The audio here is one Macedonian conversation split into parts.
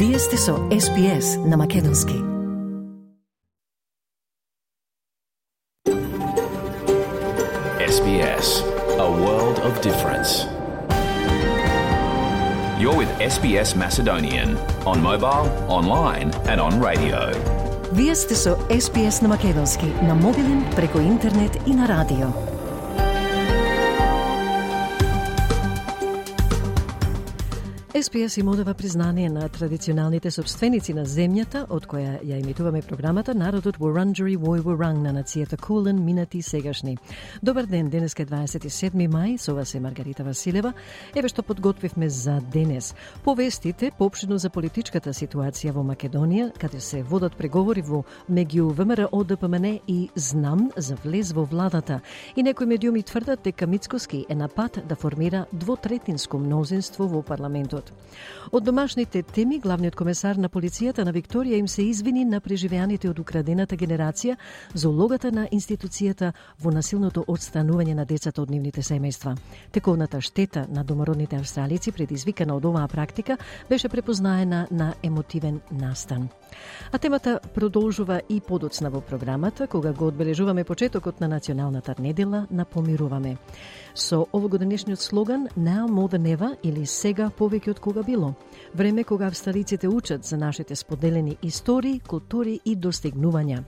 Вие сте со SPS на македонски. SBS, a world of difference. You're with SBS Macedonian on mobile, online and on radio. Вие сте со SPS на македонски, на мобилен, преку интернет и на радио. SPS им одава признание на традиционалните собственици на земјата, од која ја емитуваме програмата, народот Вуранџери Вој на нацијата Кулен, минати и сегашни. Добар ден, денеска е 27 мај, со вас е Маргарита Василева. Еве што подготвивме за денес. Повестите поопштено за политичката ситуација во Македонија, каде се водат преговори меѓу ВМРО, ДПМН и ЗНАМ за влез во владата. И некои медиуми тврдат дека Мицкоски е на пат да формира двотретинско мнозинство во парламентот. Од домашните теми, главниот комесар на полицијата на Викторија им се извини на преживеаните од украдената генерација за улогата на институцијата во насилното отстранување на децата од нивните семејства. Тековната штета на домородните австралици предизвикана од оваа практика беше препознаена на емотивен настан. А темата продолжува и подоцна во програмата, кога го одбележуваме почетокот на националната недела на Помируваме. Со овогодишниот слоган Now More Than Ever, или сега повеќе од кога било. Време кога австралиците учат за нашите споделени истории, култури и достигнувања.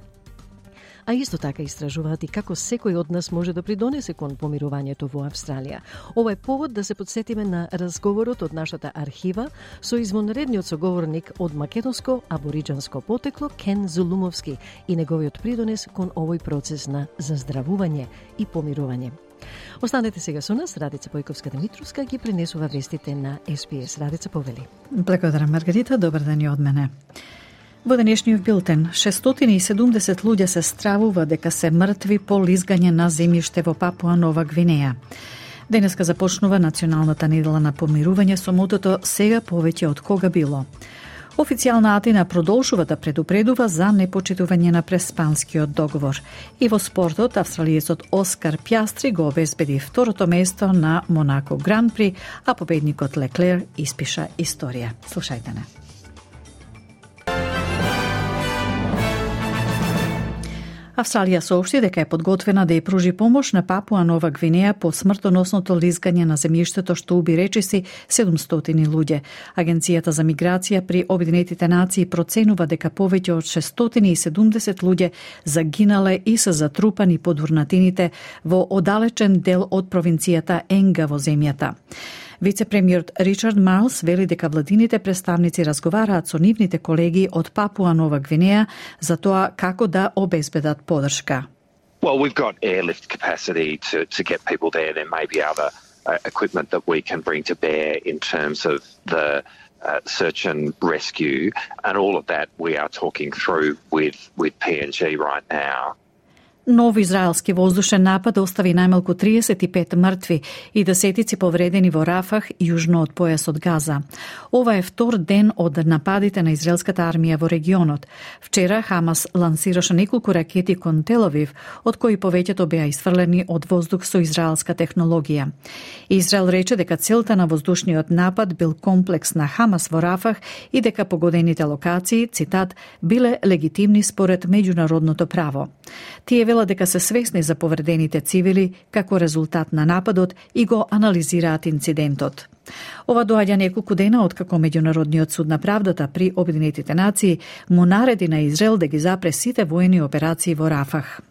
А исто така истражуваат и како секој од нас може да придонесе кон помирувањето во Австралија. Ова е повод да се подсетиме на разговорот од нашата архива со извонредниот соговорник од македонско абориџанско потекло Кен Зулумовски и неговиот придонес кон овој процес на заздравување и помирување. Останете сега со нас, Радица Појковска-Димитровска ги пренесува вестите на SPS. Радица, повели. Благодарам, Маргарита, добар ден и од мене. Во денешниот билтен, 670 луѓе се стравува дека се мртви по лизгање на земјиште во Папуа Нова Гвинеја. Денеска започнува националната недела на помирување со мотото сега повеќе од кога било. Официјална Атина продолжува да предупредува за непочитување на преспанскиот договор. И во спортот, австралиецот Оскар Пјастри го обезбеди второто место на Монако Гран При, а победникот Леклер испиша историја. Слушајте не. Австралија соопшти дека е подготвена да ја пружи помош на Папуа Нова Гвинеја по смртоносното лизгање на земјиштето што уби речиси 700 луѓе. Агенцијата за миграција при Обединетите нации проценува дека повеќе од 670 луѓе загинале и се затрупани под урнатините во оддалечен дел од провинцијата Енга во земјата. Вице-премиерот Ричард Марлс вели дека владините представници разговараат со нивните колеги од Папуа Нова Гвинеја за тоа како да обезбедат поддршка. Well, we've got airlift capacity to get people there. There may be other equipment that we can bring to bear in terms of the search and rescue, and all of that we are talking through with PNG right now. Нов израелски воздушен напад остави најмалку 35 мртви и десетици повредени во Рафах, јужно од појасот Газа. Ова е втор ден од нападите на израелската армија во регионот. Вчера Хамас лансираше неколку ракети кон Тел Авив, од кои повеќето беа исфрлени од воздух со израелска технологија. Израел рече дека целта на воздушниот напад бил комплекс на Хамас во Рафах и дека погодените локации, цитат, биле легитимни според меѓународното право. Тие велат дека се свесни за повредените цивили како резултат на нападот и го анализираат инцидентот. Ова доаѓа неколку дена откако Меѓународниот суд на правдата при Обединетите нации му нареди на Израел да ги запре сите воени операции во Рафах.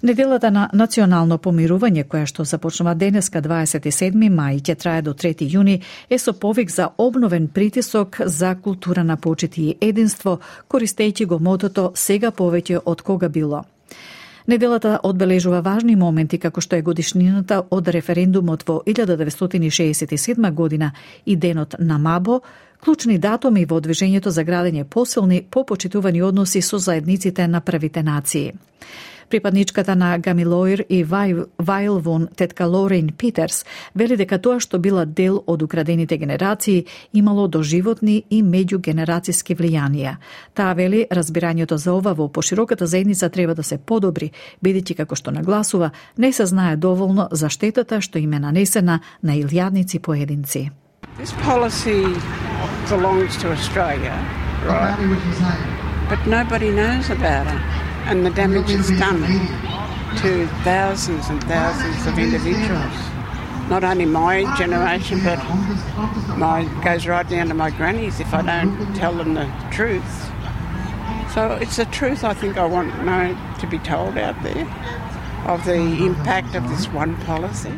Неделата на национално помирување, која што започнува денеска 27 мај, ќе трае до 3 јуни, е со повик за обновен притисок за култура на почит и единство, користејќи го мотото сега повеќе од кога било. Неделата одбележува важни моменти како што е годишнината од референдумот во 1967 година и денот на Мабо, клучни датуми во движењето за градење посилни, попочитувани односи со заедниците на првите нации. Припадничката на Гамилоир и Вајлвон, тетка Лорен Питерс, вели дека тоа што била дел од украдените генерации имало доживотни и меѓугенерацијски влијанија. Таа вели разбирањето за ова во пошироката заедница треба да се подобри, бидејќи како што нагласува, не се знае доволно за штетата што им е нанесена на илјадници поединци. This policy belongs to Australia, right? But nobody knows about it, and the damage it's done to thousands and thousands of individuals. Not only my generation, but goes right down to my grannies if I don't tell them the truth. So it's the truth I think I want to be told out there of the impact of this one policy.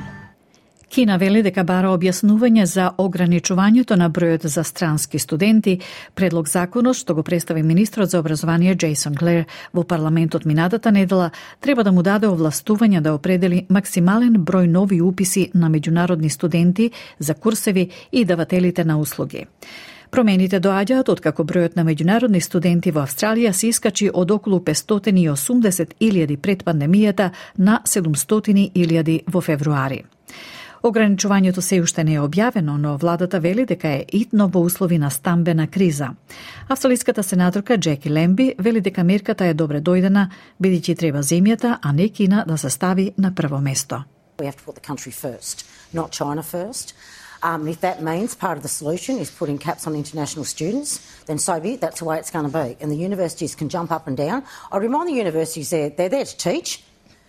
Кина вели дека бара објаснување за ограничувањето на бројот за странски студенти, предлог законот што го представи министрот за образование Джейсон Глер во парламентот минатата недела, треба да му даде овластување да определи максимален број нови уписи на меѓународни студенти за курсеви и давателите на услуги. Промените доаѓаат откако бројот на меѓународни студенти во Австралија се искачи од околу 580.000 пред пандемијата на 700.000 во февруари. Ограничувањето се уште не е објавено, но владата вели дека е итно во услови на стамбена криза. Австралиската сенаторка Джеки Лемби вели дека мерката е добре дојдена, бидејќи треба земјата, а не Кина да се стави на прво место. We have to put the country first, not China first. If that means part of the solution is putting caps on international students, then so be it. That's the way it's going to be. And the universities can jump up and down. I remind the universities they're there to teach.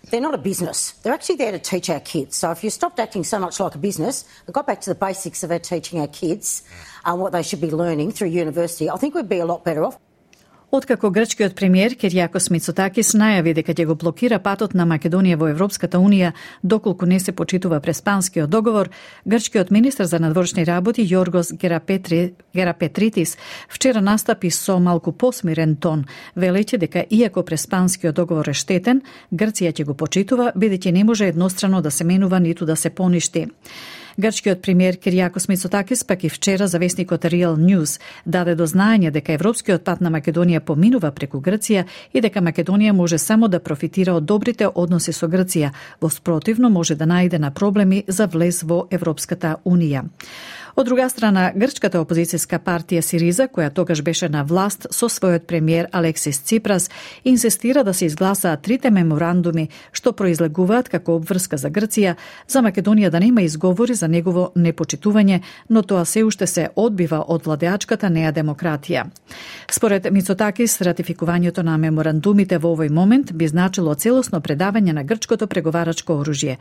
They're not a business. They're actually there to teach our kids. So if you stopped acting so much like a business and got back to the basics of our teaching our kids what they should be learning through university, I think we'd be a lot better off. Откако грчкиот премиер Кириакос Мицотакис најави дека ќе го блокира патот на Македонија во Европската унија доколку не се почитува Преспанскиот договор, грчкиот министер за надворешни работи Јоргос Герапетритис вчера настапи со малку посмирен тон, велејќи дека иако Преспанскиот договор е штетен, Грција ќе го почитува, бидејќи не може еднострано да се менува ниту да се поништи. Грчкиот премиер Кириакос Мицотакис пак и вчера за весникот Real News даде до знаење дека европскиот пат на Македонија поминува преку Грција и дека Македонија може само да профитира од добрите односи со Грција, во спротивно може да најде на проблеми за влез во Европската унија. Од друга страна, грчката опозицијска партија Сириза, која тогаш беше на власт со својот премиер Алексис Ципрас, инсистира да се изгласаат трите меморандуми што произлегуваат како обврска за Грција, за Македонија да нема изговори за негово непочитување, но тоа се уште се одбива од владеачката неа демократија. Според Мицотакис, ратификувањето на меморандумите во овој момент би значило целосно предавање на грчкото преговарачко оружје.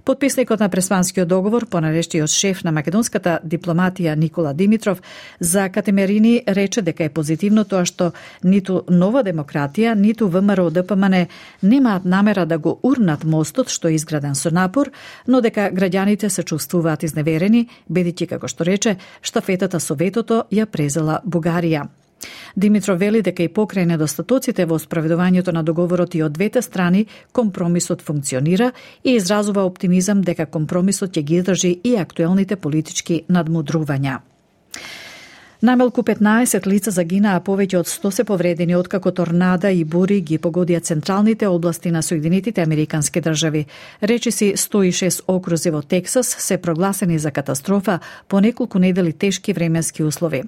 Потписникот на Преспанскиот договор, понаречиот шеф на македонската дипломатија Никола Димитров, за Катемерини рече дека е позитивно тоа што ниту Нова демократија, ниту ВМРО ДПМН немаат намера да го урнат мостот што е изграден со напор, но дека граѓаните се чувствуваат изневерени, бидејќи, како што рече, штафетата со ветото ја презела Бугарија. Димитров вели дека и покрај недостатоците во спроведувањето на договорот и од двете страни, компромисот функционира и изразува оптимизам дека компромисот ќе ги држи и актуелните политички надмудрувања. Најмалку 15 лица загинаа, повеќе од 100 се повредени откако торнада и бури ги погодија централните области на Соединетите Американски држави. Речиси 106 окрузи во Тексас се прогласени за катастрофа по неколку недели тешки временски услови.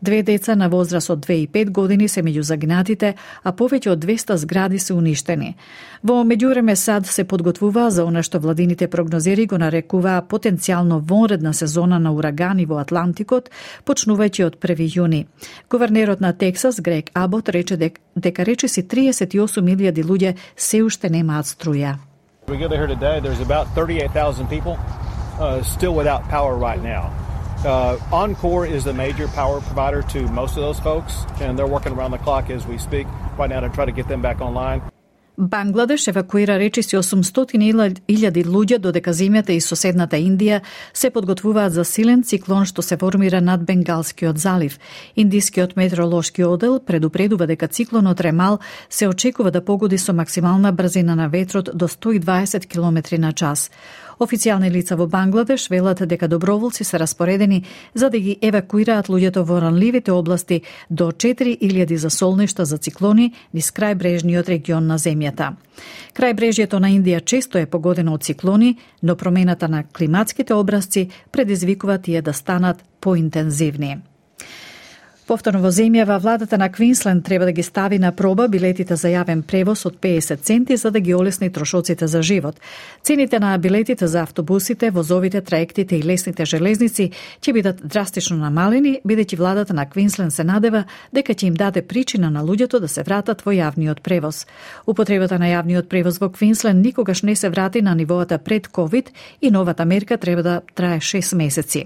2 деца на возраст од 2 и 5 години се меѓу загинатите, а повеќе од 200 згради се уништени. Во меѓувреме САД се подготвува за она што владините прогнозери го нарекуваа потенцијално вонредна сезона на урагани во Атлантикот, почнувајќи од 1 јуни. Гувернерот на Тексас, Грег Абот, рече дека речиси 38.000 луѓе се уште немаат струја. We gather here today, there's about 38,000 people still without power right now. Encore is the major power provider to most of those folks, and they're working around the clock as we speak right now to try to get them back online. Бангладеш евакуира речиси 800.000 луѓе, додека земјата и соседната Индија се подготвуваат за силен циклон што се формира над Бенгалскиот залив. Индискиот метеоролошки одел предупредува дека циклонот Ремал се очекува да погоди со максимална брзина на ветрот до 120 км на час. Официјални лица во Бангладеш велат дека доброволци се распоредени за да ги евакуираат луѓето во ранливите области до 4.000 засолништа за циклони низ крајбрежниот регион на земјата. Крајбрежјето на Индија често е погодено од циклони, но промената на климатските образци предизвикува тие да станат поинтензивни. Повторно во земјава, владата на Квинсленд треба да ги стави на проба билетите за јавен превоз од 50 центи за да ги олесни трошоците за живот. Цените на билетите за автобусите, возовите, траектите и лесните железници ќе бидат драстично намалени, бидејќи владата на Квинсленд се надева дека ќе им даде причина на луѓето да се вратат во јавниот превоз. Употребата на јавниот превоз во Квинсленд никогаш не се врати на нивоата пред ковид и новата мерка треба да трае 6 месеци.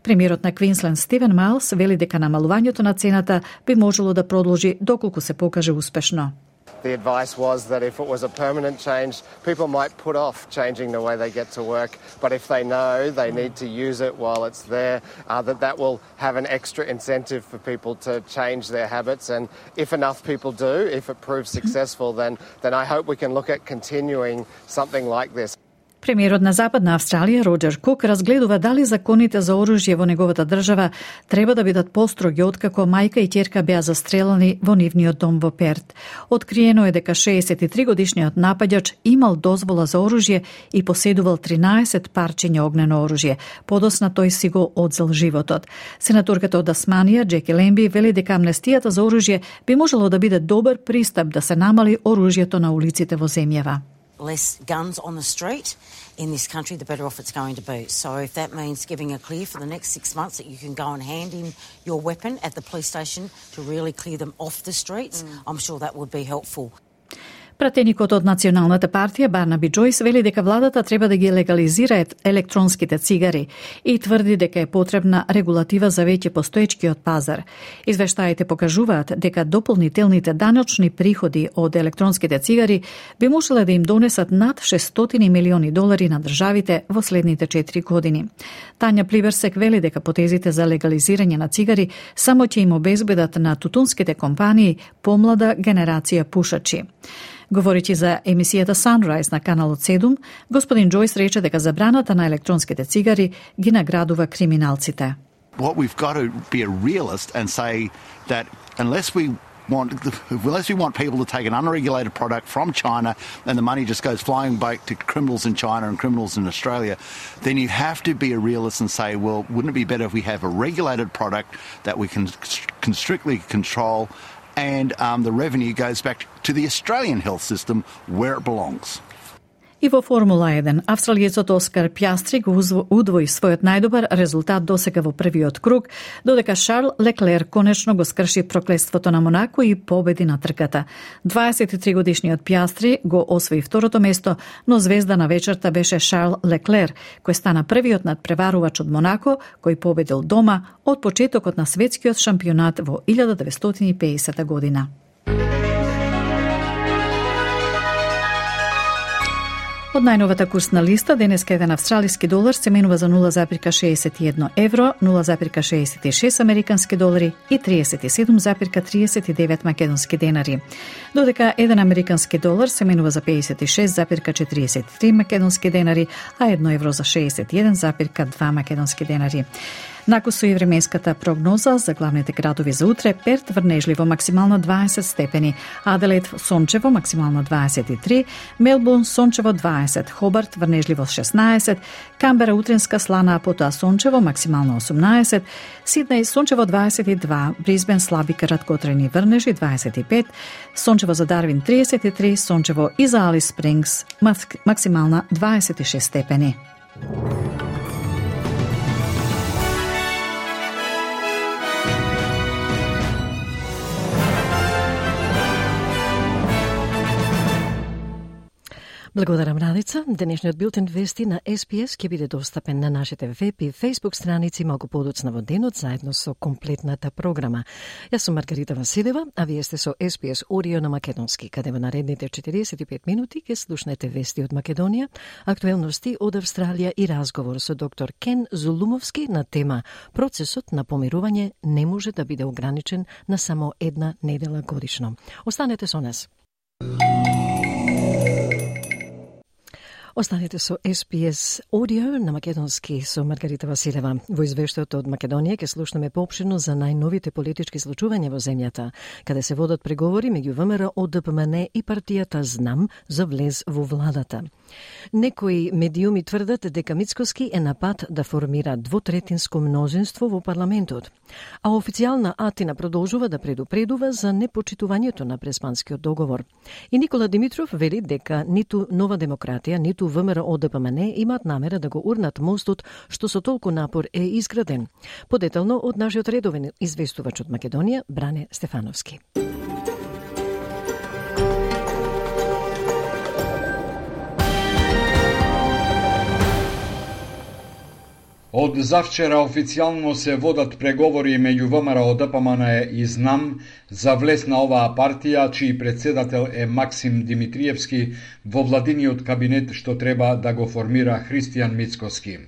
Премиерот на Квинсленд Стивен Майлс вели дека намалувањето на цената би можело да продолжи доколку се покаже успешно. The advice was that if it was a permanent change, people might put off changing the way they get to work, but if they know they need to use it while it's there, that will have an extra incentive for people to change their habits. And if enough people do, if it proves successful, then I hope we can look at continuing something like this. Премиерот на Западна Австралија Роджер Кук разгледува дали законите за оружје во неговата држава треба да бидат построги откако мајка и ќерка беа застрелани во нивниот дом во Перт. Откриено е дека 63-годишниот напаѓач имал дозвола за оружје и поседувал 13 парчиња огнено оружје. Подосна тој си го одзел животот. Сенаторката од Тасманија Джеки Лемби вели дека амнестијата за оружје би можело да биде добар пристап да се намали оружјето на улиците во земјава. Less guns on the street in this country, the better off it's going to be. So if that means giving a clear for the next 6 months that you can go and hand in your weapon at the police station to really clear them off the streets, I'm sure that would be helpful. Пратеникот од Националната партија Барнаби Џојс вели дека владата треба да ги легализира електронските цигари и тврди дека е потребна регулатива за веќе постоечкиот пазар. Извештаите покажуваат дека дополнителните даночни приходи од електронските цигари би можеле да им донесат над $600 милиони на државите во следните 4 години. Тања Плиберсек вели дека потезите за легализирање на цигари само ќе им обезбедат на тутунските компании помлада генерација пушачи. Говорејќи за емисијата Sunrise на каналот 7, господин Џојс рече дека забраната на електронските цигари ги наградува криминалците. What we've got to be a realist and say that unless we want people to take an unregulated product from China and the money just goes flying back to criminals in China and criminals in Australia, then you have to be a realist and say, well, wouldn't it be better if we have a regulated product that we can strictly control and the revenue goes back to the Australian health system where it belongs. И во Формула 1, австралиецот Оскар Пјастри го удвои својот најдобар резултат досега во првиот круг, додека Шарл Леклер конечно го скрши проклетството на Монако и победи на трката. 23-годишниот Пјастри го освои второто место, но звезда на вечерта беше Шарл Леклер, кој стана првиот надпреварувач од Монако, кој победил дома од почетокот на светскиот шампионат во 1950 година. Од најновата курсна листа, денеска еден австралиски долар се менува за 0,61 евро, 0,66 американски долари и 37,39 македонски денари. Додека еден американски долар се менува за 56,43 македонски денари, а 1 евро за 61,2 македонски денари. Накусу и временската прогноза за главните градови за утре: Перт врнежливо максимално 20 степени, Аделаид сончево максимално 23, Мелбурн сончево 20, Хобарт врнежливо 16, Камбера утренска слана, а потоа сончево максимално 18, Сиднеј сончево 22, Брисбен слаби краткотрени врнежи 25, сончево за Дарвин 33, сончево и за Алис Спрингс максимална 26 степени. Благодарам, Радица. Денешниот билтен вести на SPS ќе биде достапен на нашите веб и Facebook страници малку подоцна во денот, заедно со комплетната програма. Јас сум Маргарита Василева, а вие сте со SPS Audio на македонски, каде во наредните 45 минути ќе слушнете вести од Македонија, актуелности од Австралија и разговор со доктор Кен Зулумовски на тема "Процесот на помирување не може да биде ограничен на само една недела годишно". Останете со нас. Останете со SPS Audio на македонски со Маргарита Василева. Во извештајот од Македонија ќе слушнеме поопширно за најновите политички случувања во земјата, каде се водат преговори меѓу ВМРО, ДПМН и партијата Знам за влез во владата. Некои медиуми тврдат дека Мицкоски е на пат да формира двотретинско мнозинство во парламентот, а официјална Атина продолжува да предупредува за непочитувањето на Преспанскиот договор. И Никола Димитров вели дека ниту Нова демократија, ниту ВМРО ДПМН имаат намера да го урнат мостот што со толку напор е изграден. Подетално од нашиот редовен известувач од Македонија, Бране Стефановски. Од завчера официјално се водат преговори меѓу ВМРО, ДПМН и Знам за влез на оваа партија, чиј председател е Максим Димитриевски во владиниот кабинет што треба да го формира Христијан Мицкоски.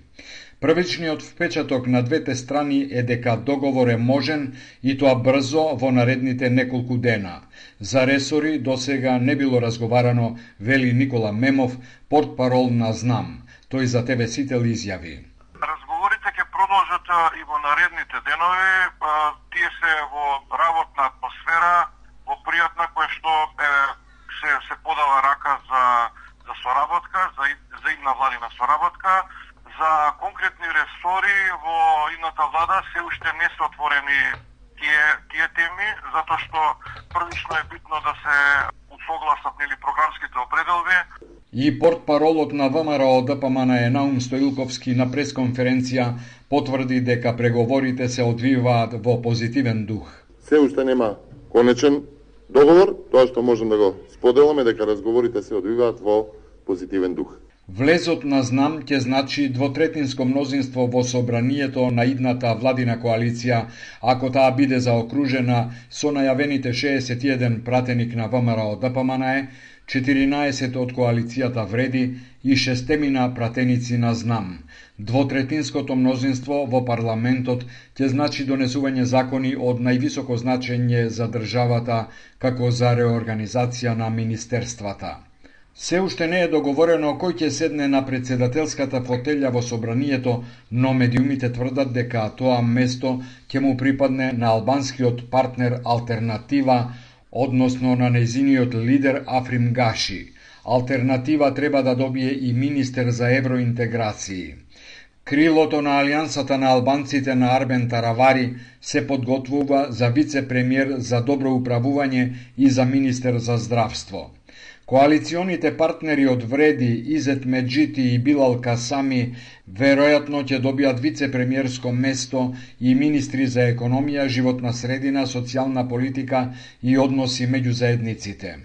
Првичниот впечаток на двете страни е дека договор е можен и тоа брзо во наредните неколку дена. За ресори досега не било разговарано, вели Никола Мемов, портпарол на Знам. Тој за ТВ Сител изјави: Разговорите ќе продолжат и во наредните денови. Тие се во работна атмосфера, во пријатна, која што се подава рака за соработка, за идна владина соработка. За конкретни ресори во идната влада се уште не се отворени тие теми, затоа што првично е битно да се усогласат програмските определби. И портпаролот на ВМРО ДПМН Наум Стоилковски на пресконференција потврди дека преговорите се одвиваат во позитивен дух. Се уште нема конечен договор, тоа што можем да го споделаме дека разговорите се одвиваат во позитивен дух. Влезот на Знам ќе значи двотретинско мнозинство во собранието на идната владина коалиција, ако таа биде заокружена со најавените 61 пратеник на ВМРО ДПМН, 14 од коалицијата Вреди и 6 пратеници на Знам. Двотретинското мнозинство во парламентот ќе значи донесување закони од највисоко значење за државата, како за реорганизација на министерствата. Се уште не е договорено кој ќе седне на председателската фотелја во собранието, но медиумите тврдат дека тоа место ќе му припадне на албанскиот партнер Алтернатива, односно на нејзиниот лидер Африм Гаши. Алтернатива треба да добие и министер за евроинтеграции. Крилото на Алијансата на албанците на Арбен Таравари се подготвува за вице-премиер за добро управување и за министер за здравство. Коалиционите партнери од Вреди, Изет Меджити и Билал Касами веројатно ќе добијат вице-премиерско место и министри за економија, животна средина, социјална политика и односи меѓу заедниците.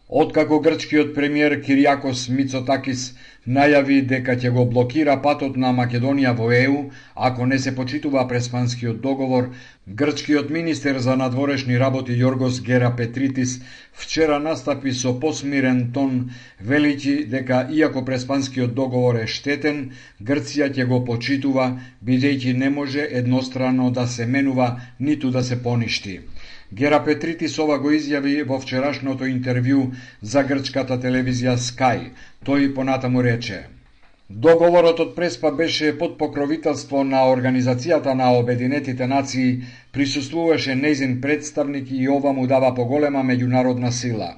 Откако грчкиот премиер Кириакос Мицотакис најави дека ќе го блокира патот на Македонија во ЕУ, ако не се почитува Преспанскиот договор, грчкиот министер за надворешни работи Јоргос Герапетритис вчера настапи со посмирен тон, велики дека иако Преспанскиот договор е штетен, Грција ќе го почитува, бидејќи не може еднострано да се менува ниту да се поништи. Герапетритис ова го изјави во вчерашното интервју за грчката телевизија Sky. Тој понатаму рече: договорот од Преспа беше под покровителство на Организацијата на Обединетите нации, присуствуваше нејзин представник и ова му дава поголема меѓународна сила.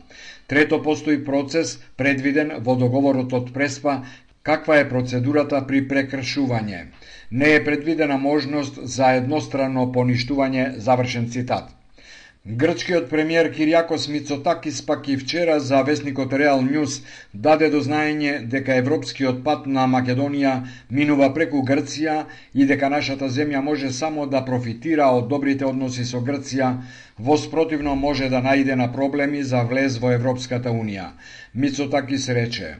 Трето, постои процес предвиден во договорот од Преспа, каква е процедурата при прекршување. Не е предвидена можност за едностранно поништување, завршен цитат. Грчкиот премиер Кириакос Мицотакис пак и вчера за весникот Реал Ньюс даде до знаење дека европскиот пат на Македонија минува преку Грција и дека нашата земја може само да профитира од добрите односи со Грција, воспротивно може да најде на проблеми за влез во Европската Унија. Мицотакис рече: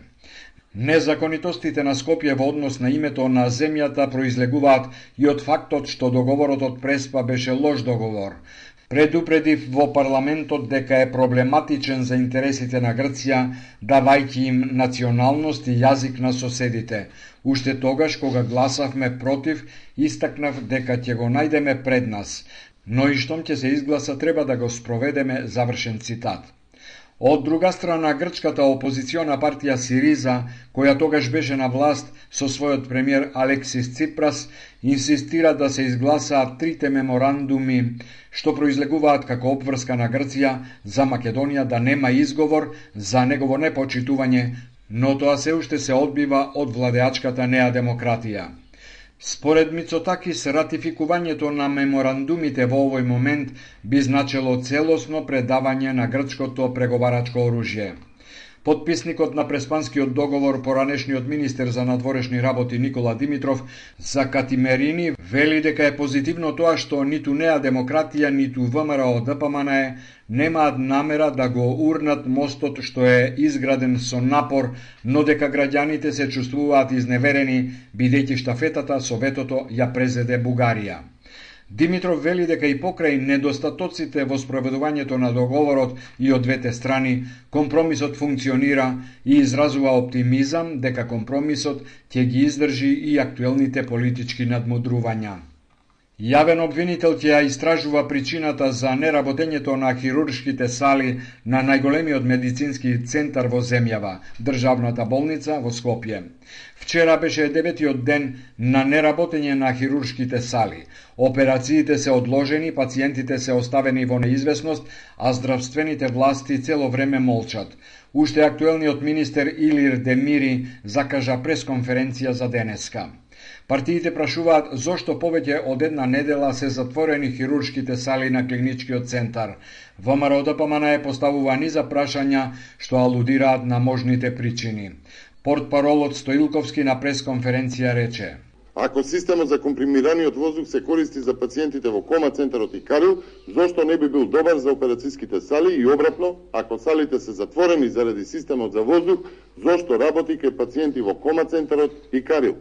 незаконитостите на Скопје во однос на името на земјата произлегуваат и од фактот што договорот од Преспа беше лош договор. Предупредив во парламентот дека е проблематичен за интересите на Грција, давајќи им националност и јазик на соседите. Уште тогаш, кога гласавме против, истакнав дека ќе го најдеме пред нас, но и штом ќе се изгласа треба да го спроведеме, завршен цитат. Од друга страна, грчката опозициона партија Сириза, која тогаш беше на власт со својот премиер Алексис Ципрас, инсистира да се изгласаат трите меморандуми што произлегуваат како обврска на Грција за Македонија да нема изговор за негово непочитување, но тоа се уште се одбива од владеачката Неа Демократија. Според Мицотакис, ратификувањето на меморандумите во овој момент би значело целосно предавање на грчкото преговарачко оружје. Подписникот на Преспанскиот договор, поранешниот министер за надворешни работи Никола Димитров, за Катимерини вели дека е позитивно тоа што ниту Неа Демократија, ниту ВМРО ДПМН немаат намера да го урнат мостот што е изграден со напор, но дека граѓаните се чувствуваат изневерени, бидејќи штафетата со ветото ја презеде Бугарија. Димитров вели дека и покрај недостатоците во спроведувањето на договорот и од двете страни, компромисот функционира и изразува оптимизам дека компромисот ќе ги издржи и актуелните политички надмудрувања. Јавен обвинител ќе ја истражува причината за неработењето на хируршките сали на најголемиот медицински центар во земјава, државната болница во Скопје. Вчера беше 9-тиот ден на неработење на хируршките сали. Операциите се одложени, пациентите се оставени во неизвестност, а здравствените власти цело време молчат. Уште актуелниот министер Илир Демири закажа пресконференција за денеска. Партиите прашуваат зошто повеќе од една недела се затворени хируршките сали на клиничкиот центар. ВМРО ДПМН поставува низа прашања што алудираат на можните причини. Портпаролот Стоилковски на пресконференција рече: Ако системот за компримираниот воздух се користи за пациентите во кома центарот и Карил, зошто не би бил добар за операцијските сали и обратно, ако салите се затворени заради системот за воздух, зошто работи кај пациенти во кома центарот и Карил?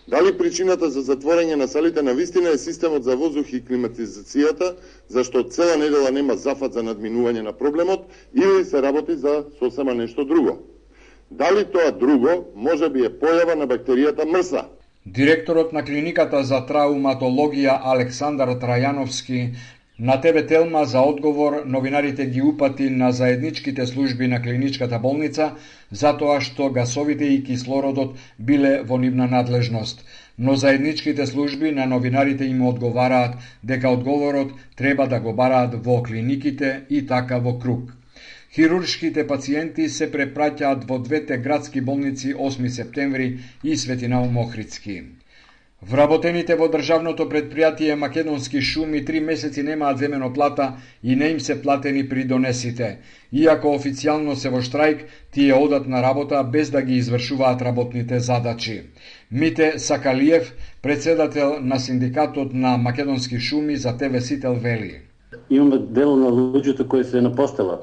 Дали причината за затворање на салите на вистина е системот за воздух и климатизацијата, зашто цела недела нема зафат за надминување на проблемот, или се работи за сосема нешто друго? Дали тоа друго може би е појава на бактеријата МРСА? Директорот на клиниката за трауматологија Александар Трајановски на ТВ Телма за одговор новинарите ги упати на заедничките служби на клиничката болница затоа што гасовите и кислородот биле во нивна надлежност. Но заедничките служби на новинарите им одговараат дека одговорот треба да го бараат во клиниките и така во круг. Хируршките пациенти се препраќаат во двете градски болници 8 септември и Свети Наум Охридски. Вработените во државното предпријатие Македонски шуми 3 месеци немаат земено плата и не им се платени придонесите. Иако официјално се во штрајк, тие одат на работа без да ги извршуваат работните задачи. Мите Сакалиев, председател на синдикатот на Македонски шуми за ТВ Сител вели: Имаме дел на луѓето кои се на постела.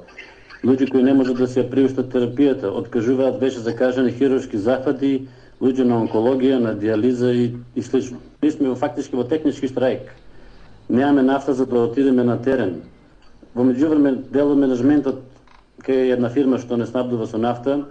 Луѓе кои не можат да се приуштат терапијата, откажуваат веќе закажани хируршки захвати, луѓе на онкологија, на диализа и слично. Ние сме фактички во технички штрајк. Немаме нафта за да отидеме на терен. Во меѓувреме дел од менеджментот кај една фирма што не снабдува со нафта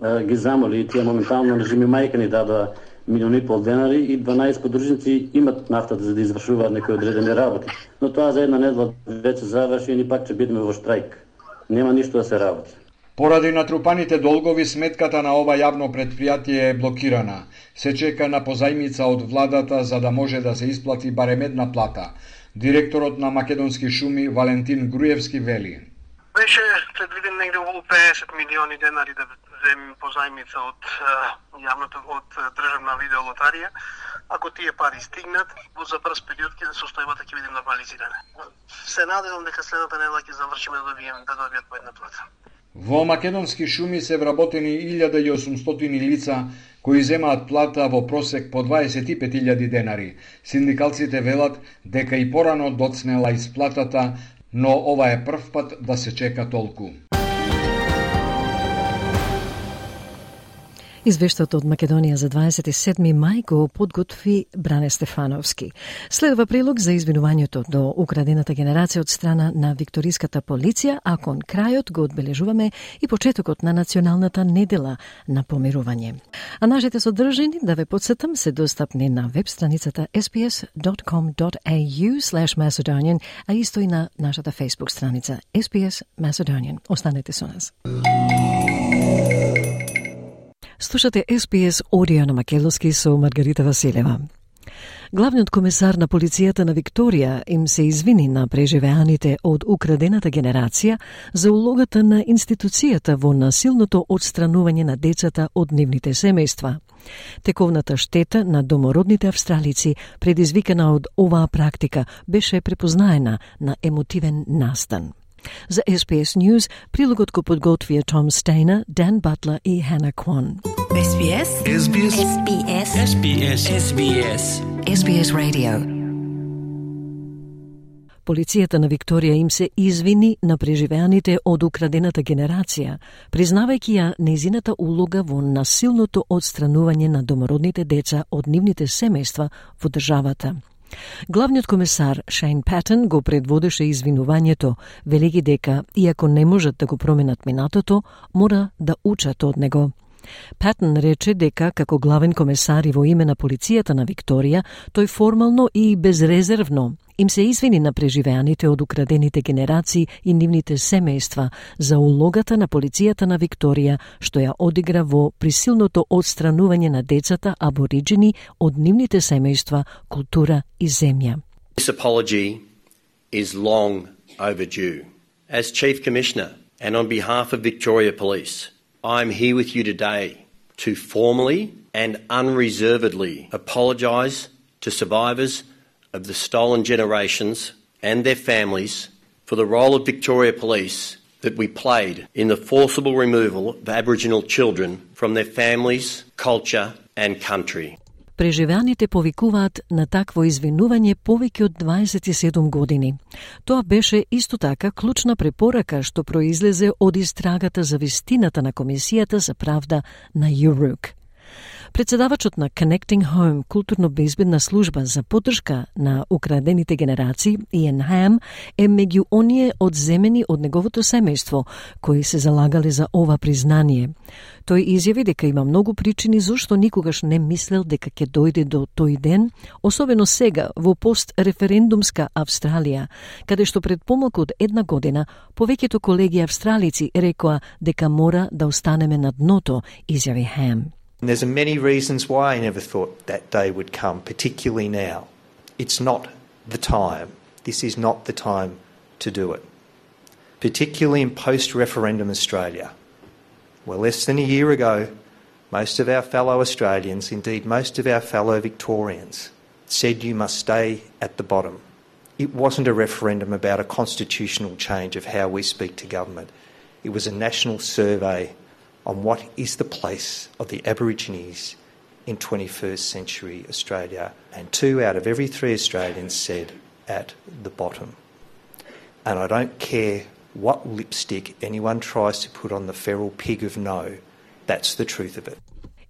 ги замоли и тие моментално режими мајка ни дадоа $1,5 милиони и 12 подружници имат нафта за да извршуваат некои одредени работи. Но тоа за една недела веќе заврши и ни пак ќе бидеме во штрајк. Нема ништо да се работи. Поради натрупаните долгови, сметката на ова јавно предпријатие е блокирана. Се чека на позајмица од владата за да може да се исплати барем една плата. Директорот на Македонски шуми Валентин Груевски вели: Беше предвиден негде околу $50 милиони да земим позајмица од јавното од државна видеолотарија. Ако тие пари стигнат, за брз период состојбата ќе биде нормализирана. Се надевам дека следната недела ќе завршиме да добијат по една плата. Во Македонски шуми се вработени 1800 лица кои земаат плата во просек по $25,000. Синдикалците велат дека и порано доцнела исплатата, но ова е прв пат да се чека толку. Извештајот од Македонија за 27. мај го подготви Бране Стефановски. Следува прилог за извинувањето до украдената генерација од страна на викториската полиција, а кон крајот го одбележуваме и почетокот на националната недела на помирување. А нашите содржини, да ве подсетам, се достапни на веб страницата sbs.com.au/Macedonian, а исто и на нашата Facebook страница SBS Macedonian. Останете со нас. Слушате SBS Audio на македонски со Маргарита Василева. Главниот комесар на полицијата на Викторија им се извини на преживеаните од украдената генерација за улогата на институцијата во насилното отстранување на децата од нивните семејства. Тековната штета на домородните австралици, предизвикана од оваа практика, беше препознаена на емотивен настан. За SBS News, прилогот го подготвија Том Стейнер, Дан Батлер и Хана Квон. SBS. SBS. SBS. SBS. SBS. SBS Radio. Полицијата на Викторија им се извини на преживеаните од украдената генерација, признавајќи ја нејзината улога во насилното отстранување на домородните деца од нивните семејства во државата. Главниот комесар Шейн Патен го предводеше извинувањето, велики дека, иако не можат да го променат минатото, мора да учат од него. Патен рече дека, како главен комесар и во име на полицијата на Викторија, тој формално и безрезервно им се извини на преживеаните од украдените генерации и нивните семејства за улогата на полицијата на Викторија, што ја одигра во присилното отстранување на децата абориджини од нивните семејства, култура и земја. This apology is long overdue. As Chief Commissioner and on behalf of Victoria Police, I'm here with you today to formally and unreservedly apologise to survivors of the stolen generations and their families for the role of Victoria Police that we played in the forcible removal of Aboriginal children from their families, culture and country. Преживеаните повикуваат на такво извинување повеќе од 27 години. Тоа беше исто така клучна препорака што произлезе од истрагата за вистината на Комисијата за правда на ЮРУК. Председавачот на Connecting Home, културно-безбедна служба за поддршка на украдените генерации, Иен Хам, е меѓу оние одземени од неговото семејство, кои се залагале за ова признание. Тој изјави дека има многу причини зашто никогаш не мислел дека ќе дојде до тој ден, особено сега во пост-референдумска Австралија, каде што пред помалку од една година повеќето колеги австралици рекоа дека мора да останеме на дното, изјави Хам. There's many reasons why I never thought that day would come, particularly now. It's not the time. This is not the time to do it. Particularly in post-referendum Australia. Well, less than a year ago, most of our fellow Australians, indeed most of our fellow Victorians, said you must stay at the bottom. It wasn't a referendum about a constitutional change of how we speak to government. It was a national survey on what is the place of the Aborigines in 21st century Australia. And 2 out of every 3 Australians said at the bottom. And I don't care what lipstick anyone tries to put on the feral pig of no, that's the truth of it.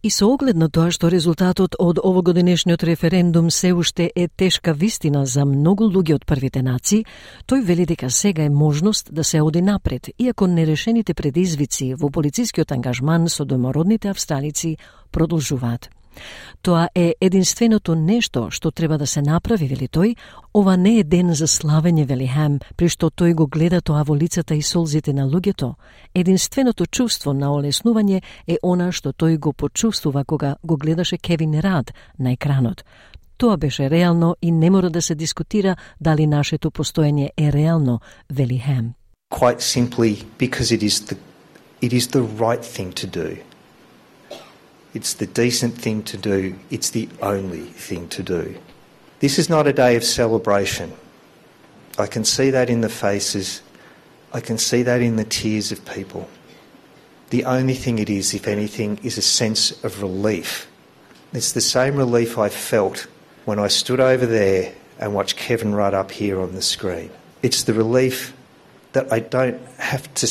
И со оглед на тоа што резултатот од овогодинешниот референдум се уште е тешка вистина за многу луѓе од првите нации, тој вели дека сега е можност да се оди напред, иако нерешените предизвици во полицискиот ангажман со домородните австралици продолжуваат. Тоа е единственото нешто што треба да се направи, вели тој. Ова не е ден за славење, вели Хам, при што тој го гледа тоа во лицата и солзите на луѓето. Единственото чувство на олеснување е она што тој го почувствува кога го гледаше Кевин Рад на екранот. Тоа беше реално и не мора да се дискутира дали нашето постоење е реално, вели Хам. Quite simply because it is the right thing to do. It's the decent thing to do. It's the only thing to do. This is not a day of celebration. I can see that in the faces. I can see that in the tears of people. The only thing it is, if anything, is a sense of relief. It's the same relief I felt when I stood over there and watched Kevin Rudd up here on the screen. It's the relief that I don't have to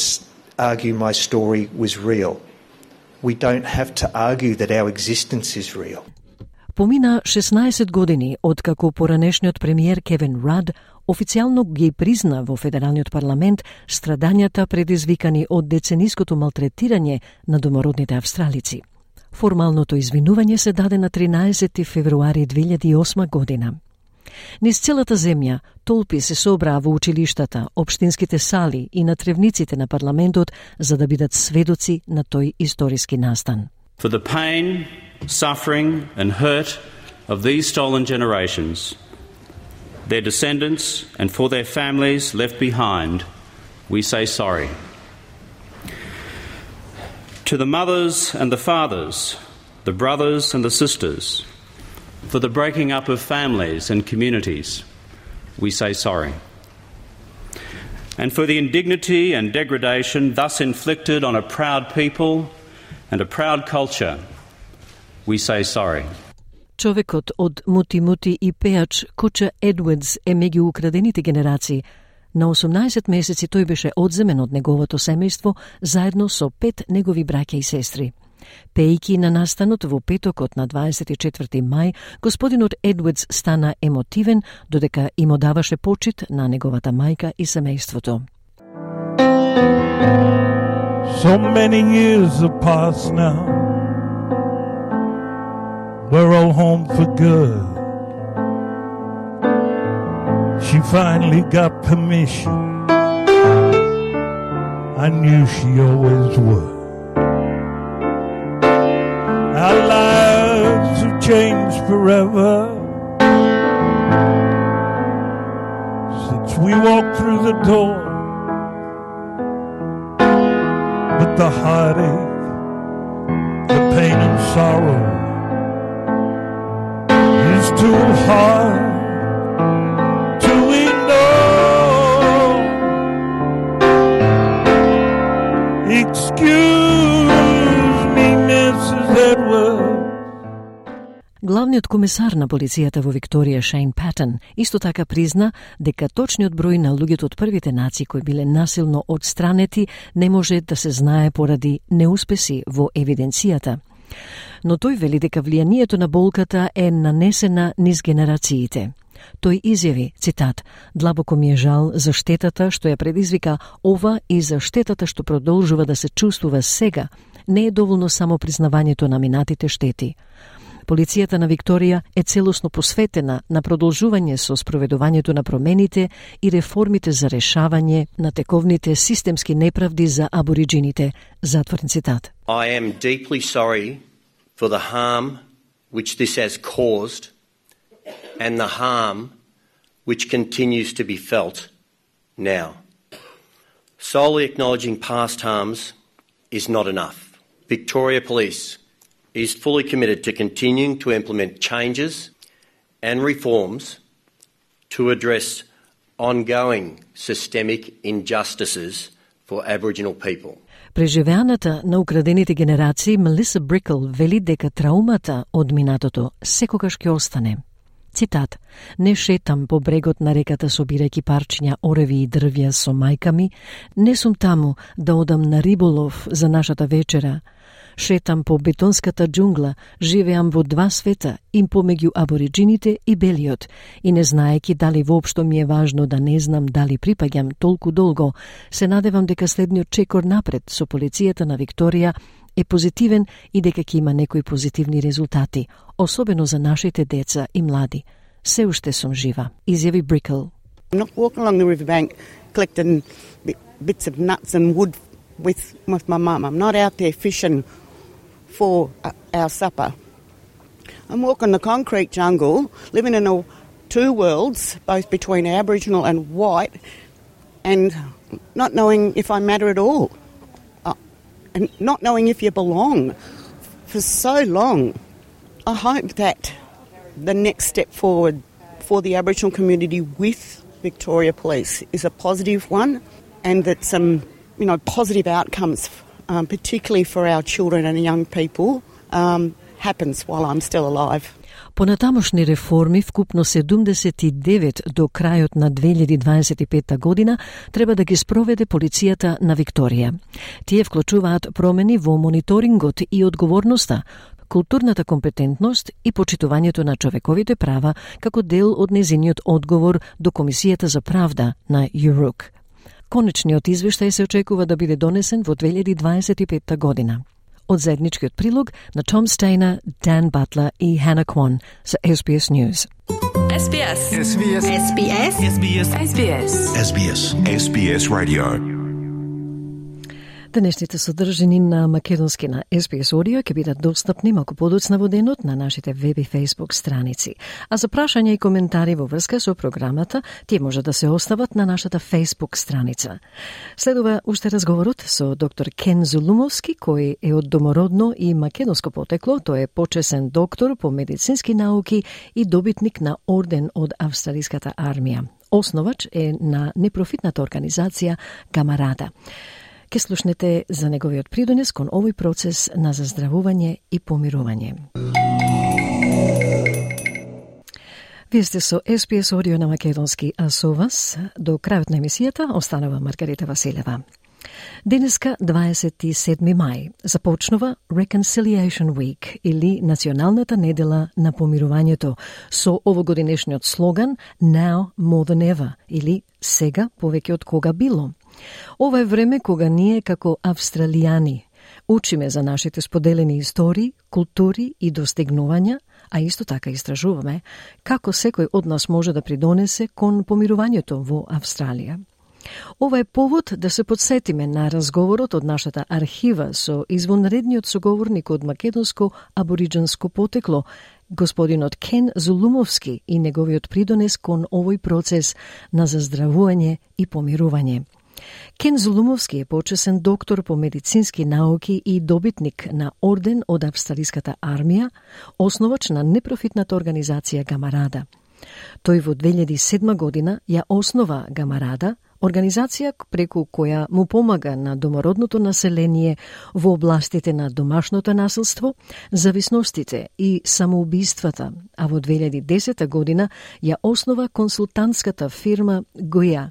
argue my story was real. we don't have to argue that our existence is real. Помина 16 години откако поранешниот премиер Кевин Рад официјално ги призна во Федералниот парламент страдањата предизвикани од децениското малтретирање на домородните австралици. Формалното извинување се даде на 13 февруари 2008 година. Низ целата земја толпи се собраа во училиштата, општинските сали и на тревниците на парламентот за да бидат сведоци на тој историски настан. For the pain, suffering and hurt of these stolen generations, their descendants and for their families left behind, we say sorry. To the mothers and the fathers, the brothers and the sisters, for the breaking up of families and communities, we say sorry. And for the indignity and degradation thus inflicted on a proud people and a proud culture, we say sorry. Човекот од Мути-Мути и пеач Куча Едвардс е меѓу украдените генерации. На 18 месеци тој беше одземен од неговото семејство заедно со 5 негови браќа и сестри. Пејки на настанот во петокот на 24 мај, господинот Едвардс стана емотивен додека им одаваше почит на неговата мајка и семејството. So many years have passed now. We're all home for good. She finally got permission. I knew she always would. Our lives have changed forever since we walked through the door. But the heartache, the pain and sorrow is too hard to ignore. Excuse me, Mrs. Edwards. Главниот комесар на полицијата во Викторија, Шейн Патен, исто така призна дека точниот број на луѓето од првите нации кои биле насилно отстранети не може да се знае поради неуспеси во евиденцијата. Но тој вели дека влијанието на болката е нанесена низ генерациите. Тој изјави, цитат, "Длабоко ми е жал за штетата што ја предизвика ова и за штетата што продолжува да се чувствува сега. Не е доволно само признавањето на минатите штети. Полицијата на Викторија е целосно посветена на продолжување со спроведувањето на промените и реформите за решавање на тековните системски неправди за абориджините." Затворен цитат. I am deeply sorry for the harm which this has caused and the harm which continues to be felt now. Solely acknowledging past harms is not enough. Victoria Police is fully committed to continuing to implement changes and reforms to address ongoing systemic injustices for Aboriginal people. Преживеаната на украдените генерации Мелиса Брикл вели дека траумата од минатото секогаш ќе остане. Цитат: "Не шетам по брегот на реката собирајќи парчиња ореви и дрвја со мајка ми, не сум таму да одам на риболов за нашата вечера. Шетам по бетонската џунгла, живеам во два света, им помеѓу абориджините и белиот, и не знаеки дали воопшто ми е важно да не знам дали припаѓам толку долго, се надевам дека следниот чекор напред со полицијата на Викторија е позитивен и дека ќе има некои позитивни резултати, особено за нашите деца и млади. Се уште сум жива," изјави Брикл. I'm not walking along the riverbank collecting bits of nuts and wood with my mum. I'm not out there fishing for our supper. I'm walking the concrete jungle, living in two worlds, both between Aboriginal and white, and not knowing if I matter at all, and not knowing if you belong for so long. I hope that the next step forward for the Aboriginal community with Victoria Police is a positive one, and that some positive outcomes, particularly for our children and young people, happens while I'm still alive. Понатамошни реформи, вкупно 79 до крајот на 2025 година, треба да ги спроведе полицијата на Викторија. Тие вклучуваат промени во мониторингот и одговорноста, културната компетентност и почитувањето на човековите права како дел од незиниот одговор до Комисијата за правда на ЮРУК. Конечниот извештај се очекува да биде донесен во 2025 година. Од заедничкиот прилог на Том Стейнер, Dan Butler и Hannah Kwan за SBS News. SBS. SBS. SBS. SBS. SBS. SBS. SBS Radio. Денешните содржини на македонски на SBS Audio ќе бидат достапни малку подоцна во денот на нашите веб и Facebook страници. А за прашања и коментари во врска со програмата, тие може да се остават на нашата Facebook страница. Следува уште разговорот со доктор Кен Зулумовски, кој е од домородно и македонско потекло. Тој е почесен доктор по медицински науки и добитник на орден од Австралиската армија. Основач е на непрофитната организација Камарада. Ке слушнете за неговиот придонес кон овој процес на заздравување и помирување. Вие сте со SBS Audio на македонски, а со вас до крајот на емисијата останува Маргарита Василева. Денеска, 27 мај, започнува Reconciliation Week или Националната недела на помирувањето со овогодинешниот слоган Now More Than Ever или Сега повеќе од кога било. Ова е време кога ние како австралијани учиме за нашите споделени истории, култури и достигнувања, а исто така истражуваме како секој од нас може да придонесе кон помирувањето во Австралија. Ова е повод да се подсетиме на разговорот од нашата архива со извонредниот соговорник од македонско абориџанско потекло, господинот Кен Зулумовски и неговиот придонес кон овој процес на заздравување и помирување. Кен Зулумовски е почесен доктор по медицински науки и добитник на орден од Австралиската армија, основач на непрофитната организација Камарада. Тој во 2007 година ја основа Камарада, организација преку која му помага на домородното население во областите на домашното насилство, зависностите и самоубиствата, а во 2010 година ја основа консултантската фирма Гоја,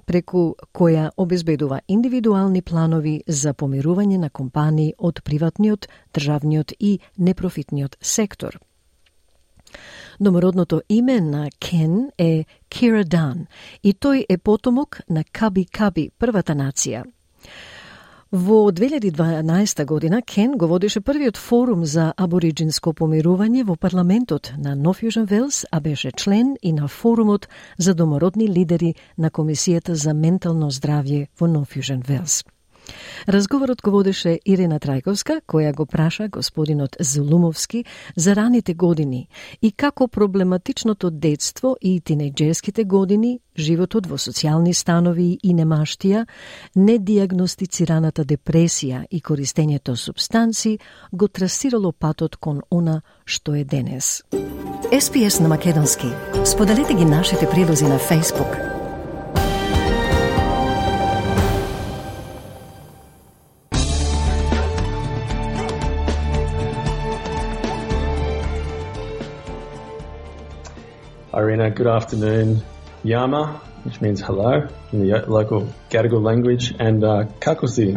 преку која обезбедува индивидуални планови за помирување на компании од приватниот, државниот и непрофитниот сектор. Домородното име на Кен е Кира Дан и тој е потомок на Каби Каби, првата нација. Во 2012 година Кен го водеше првиот форум за абориџинско помирување во парламентот на Нов Јужен Велс, а беше член и на форумот за домородни лидери на Комисијата за ментално здравје во Нов Јужен Велс. Разговорот го водеше Ирена Трајковска, која го праша господинот Зулумовски за раните години и како проблематичното детство и тинејџерските години, животот во социјални станови и немаштија, недиагностицираната депресија и користењето супстанци го трасирало патот кон она што е денес. SPS на македонски. Споделете ги нашите прилози на Facebook. Irina, good afternoon. Yama, which means hello in the local Gadigal language, and Kakosi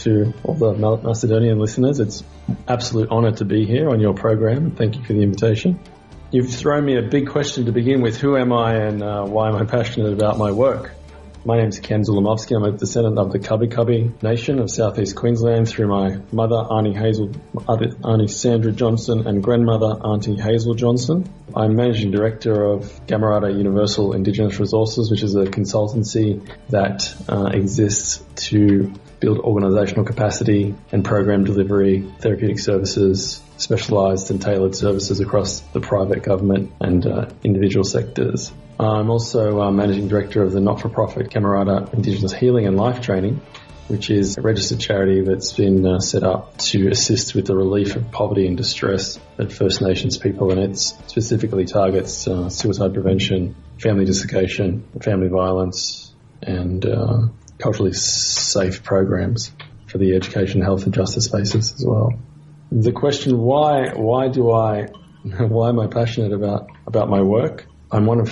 to all the Macedonian listeners. It's an absolute honour to be here on your program. Thank you for the invitation. You've thrown me a big question to begin with. Who am I and why am I passionate about my work? My name's Ken Zulumovski. I'm a descendant of the Cubby Cubby Nation of southeast Queensland through my mother, Auntie Sandra Johnson, and grandmother, Auntie Hazel Johnson. I'm Managing Director of Camarada Universal Indigenous Resources, which is a consultancy that exists to build organisational capacity and program delivery, therapeutic services, specialised and tailored services across the private, government and individual sectors. I'm also Managing Director of the not-for-profit Camarada Indigenous Healing and Life Training, which is a registered charity that's been set up to assist with the relief of poverty and distress that First Nations people, and it specifically targets suicide prevention, family desiccation, family violence, and culturally safe programs for the education, health and justice spaces as well. The question, why do I why am I passionate about my work? I'm one of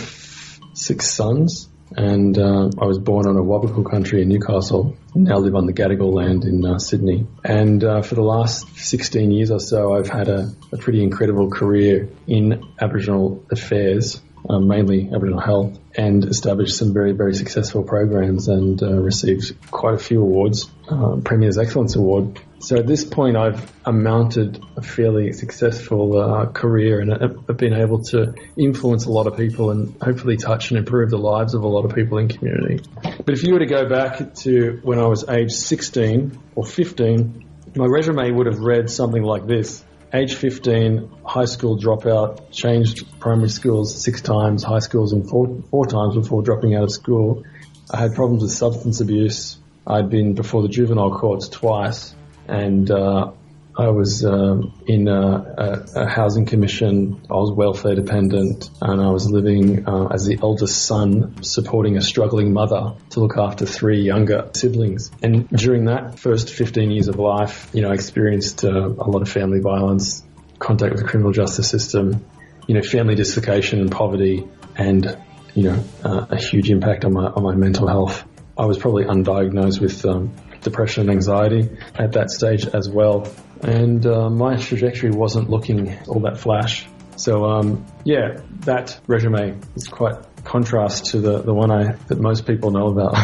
6 sons, and I was born on a Wabakal country in Newcastle. Now live on the Gadigal land in Sydney. And for the last 16 years or so, I've had a pretty incredible career in Aboriginal affairs, mainly Aboriginal health, and established some very, very successful programs and received quite a few awards, Premier's Excellence Award. So at this point, I've mounted a fairly successful career, and I've been able to influence a lot of people and hopefully touch and improve the lives of a lot of people in community. But if you were to go back to when I was age 16 or 15, my resume would have read something like this. Age 15, high school dropout, changed primary schools 6 times, high schools in 4 times before dropping out of school. I had problems with substance abuse. I'd been before the juvenile courts twice, and I was in a housing commission. I was welfare dependent, and I was living as the eldest son, supporting a struggling mother to look after 3 younger siblings. And during that first 15 years of life, I experienced a lot of family violence, contact with the criminal justice system, family dislocation and poverty, and a huge impact on my mental health. I was probably undiagnosed with depression and anxiety at that stage as well. And my trajectory wasn't looking all that flash. So, that resume is quite contrast to the one that most people know about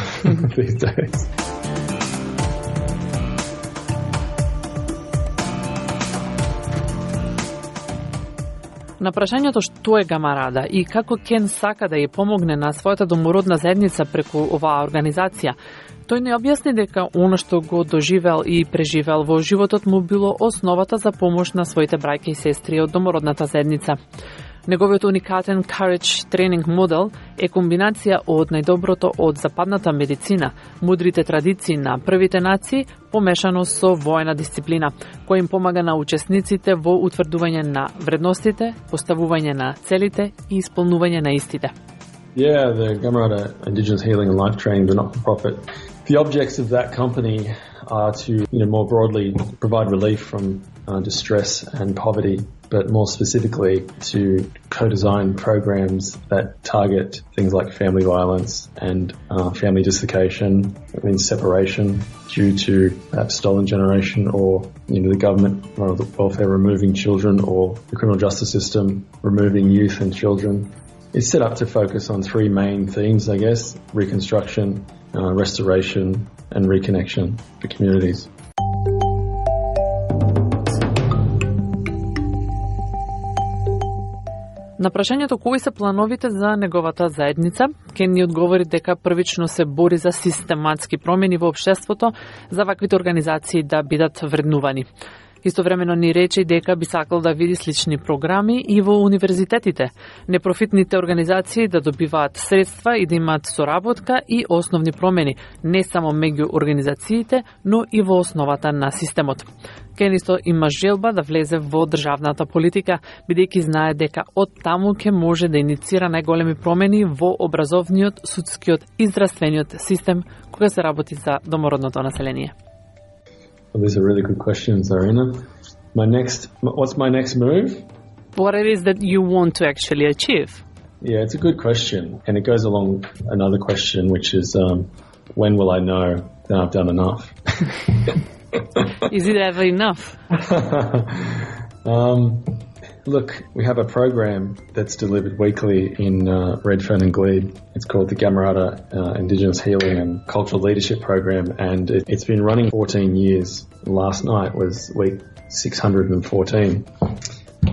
these days. На прашањето што е Гамарада и како Кен сака да ја помогне на својата домородна заедница преку оваа организација, тој не објасни дека она што го доживел и преживел во животот му било основата за помош на своите браќа и сестри од домородната заедница. Неговиот уникатен Courage тренинг модел е комбинација од најдоброто од западната медицина, мудрите традиции на првите нации, помешано со воена дисциплина, која им помага на учесниците во утврдување на вредностите, поставување на целите и исполнување на истите. Yeah, the Gamarada Indigenous Healing and Life Training, the not-for-profit. The objects of that company are to, more broadly provide relief from distress and poverty, but more specifically to co-design programs that target things like family violence and family dislocation. That means separation due to perhaps stolen generation or, the government or the welfare removing children, or the criminal justice system removing youth and children. It's set up to focus on 3 main themes, I guess: reconstruction, restoration, and reconnection for communities. На прашањето кои се плановите за неговата заедница, Кен ни одговори дека првично се бори за систематски промени во општеството, за ваквите организации да бидат вреднувани. Истовремено ни рече дека би сакал да види слични програми и во универзитетите, непрофитните организации да добиваат средства и да имаат соработка и основни промени, не само меѓу организациите, но и во основата на системот. Кен исто има желба да влезе во државната политика, бидејќи знае дека од таму ќе може да иницира најголеми промени во образовниот, судскиот и здравствениот систем кога се работи за домородното население. Well, these are really good questions, Arina. What's my next move? What it is that you want to actually achieve? Yeah, it's a good question. And it goes along another question, which is, when will I know that I've done enough? Is it ever enough? Look, we have a program that's delivered weekly in Redfern and Glebe. It's called the Gamarada Indigenous Healing and Cultural Leadership Program, and it's been running 14 years. Last night was week 614.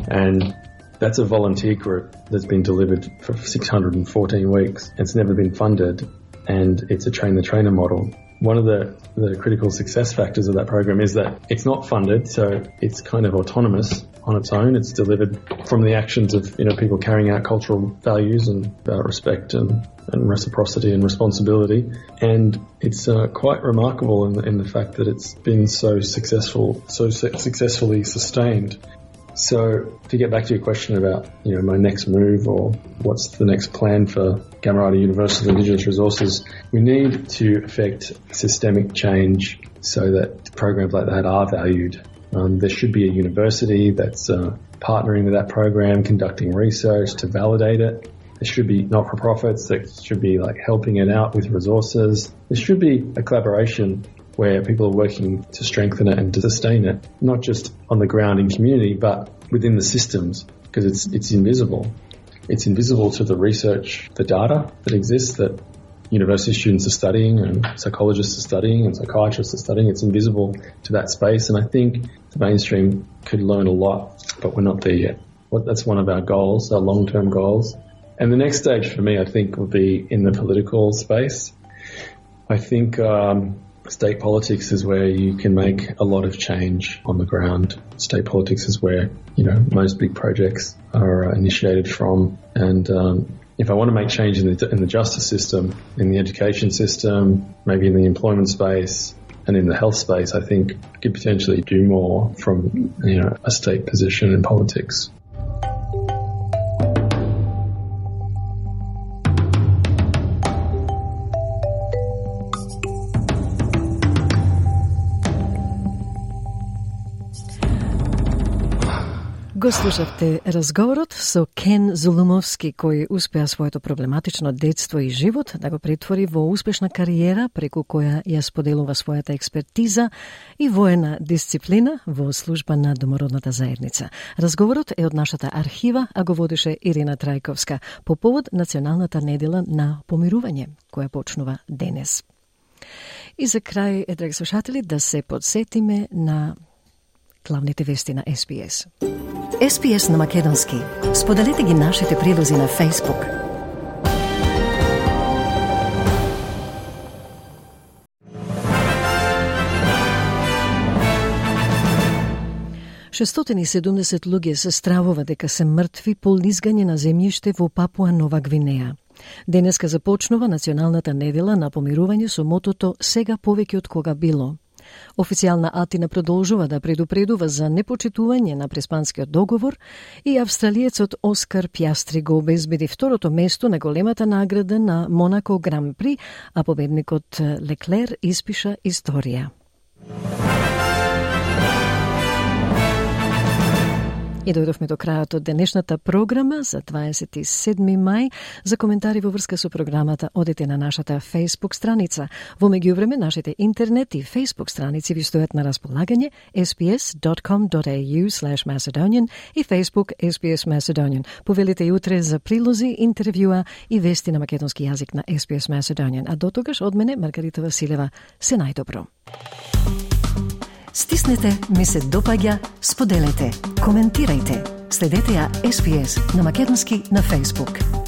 And that's a volunteer group that's been delivered for 614 weeks. It's never been funded, and it's a train-the-trainer model. One of the critical success factors of that program is that it's not funded, so it's kind of autonomous on its own. It's delivered from the actions of people carrying out cultural values and respect and reciprocity and responsibility. And it's quite remarkable in the fact that it's been so successfully sustained. So to get back to your question about my next move or what's the next plan for Gamarada Universal Indigenous Resources, we need to effect systemic change so that programs like that are valued. There should be a university that's partnering with that program, conducting research to validate it. There should be not-for-profits that should be like helping it out with resources. There should be a collaboration where people are working to strengthen it and to sustain it, not just on the ground in community, but within the systems, because it's invisible. It's invisible to the research, the data that exists that university students are studying and psychologists are studying and psychiatrists are studying. It's invisible to that space, and I think the mainstream could learn a lot, but we're not there yet. That's one of our goals, our long-term goals. And the next stage for me, I think, will be in the political space. I think state politics is where you can make a lot of change on the ground. State politics is where, most big projects are initiated from. And if I want to make change in the justice system, in the education system, maybe in the employment space and in the health space, I think I could potentially do more from, a state position in politics. Го слушавте разговорот со Кен Зулумовски, кој успеа своето проблематично детство и живот да го претвори во успешна кариера преку која ја споделува својата експертиза и воена дисциплина во служба на домородната заедница. Разговорот е од нашата архива, а го водеше Ирина Трајковска по повод Националната недела на помирување, која почнува денес. И за крај, драги слушатели, да се подсетиме на главните вести на SBS. SBS на македонски. Споделете ги нашите прилози на Facebook. Шестотини 70 луѓе се стравува дека се мртви по лизгање на земјиште во Папуа Нова Гвинеја. Денеска започнува Националната недела на помирување со мотото «Сега повеќе од кога било». Официјална Атина продолжува да предупредува за непочитување на преспанскиот договор и австралиецот Оскар Пјастри го обезбеди второто место на големата награда на Монако Гран При, а победникот Леклер испиша историја. И дојдовме до крајот од денешната програма за 27 мај. За коментари во врска со програмата одете на нашата Facebook страница. Во меѓувреме нашите интернет и Facebook страници ви стојат на располагање sbs.com.au/Macedonian и Facebook SBS Macedonian. Повелите и утре за прилози, интервјуа и вести на македонски јазик на SBS Macedonian. А до тогаш од мене Маргарита Василева, се најдобро. Стиснете, ми се допаѓа, споделете, коментирајте. Следете ја SBS на македонски на Facebook.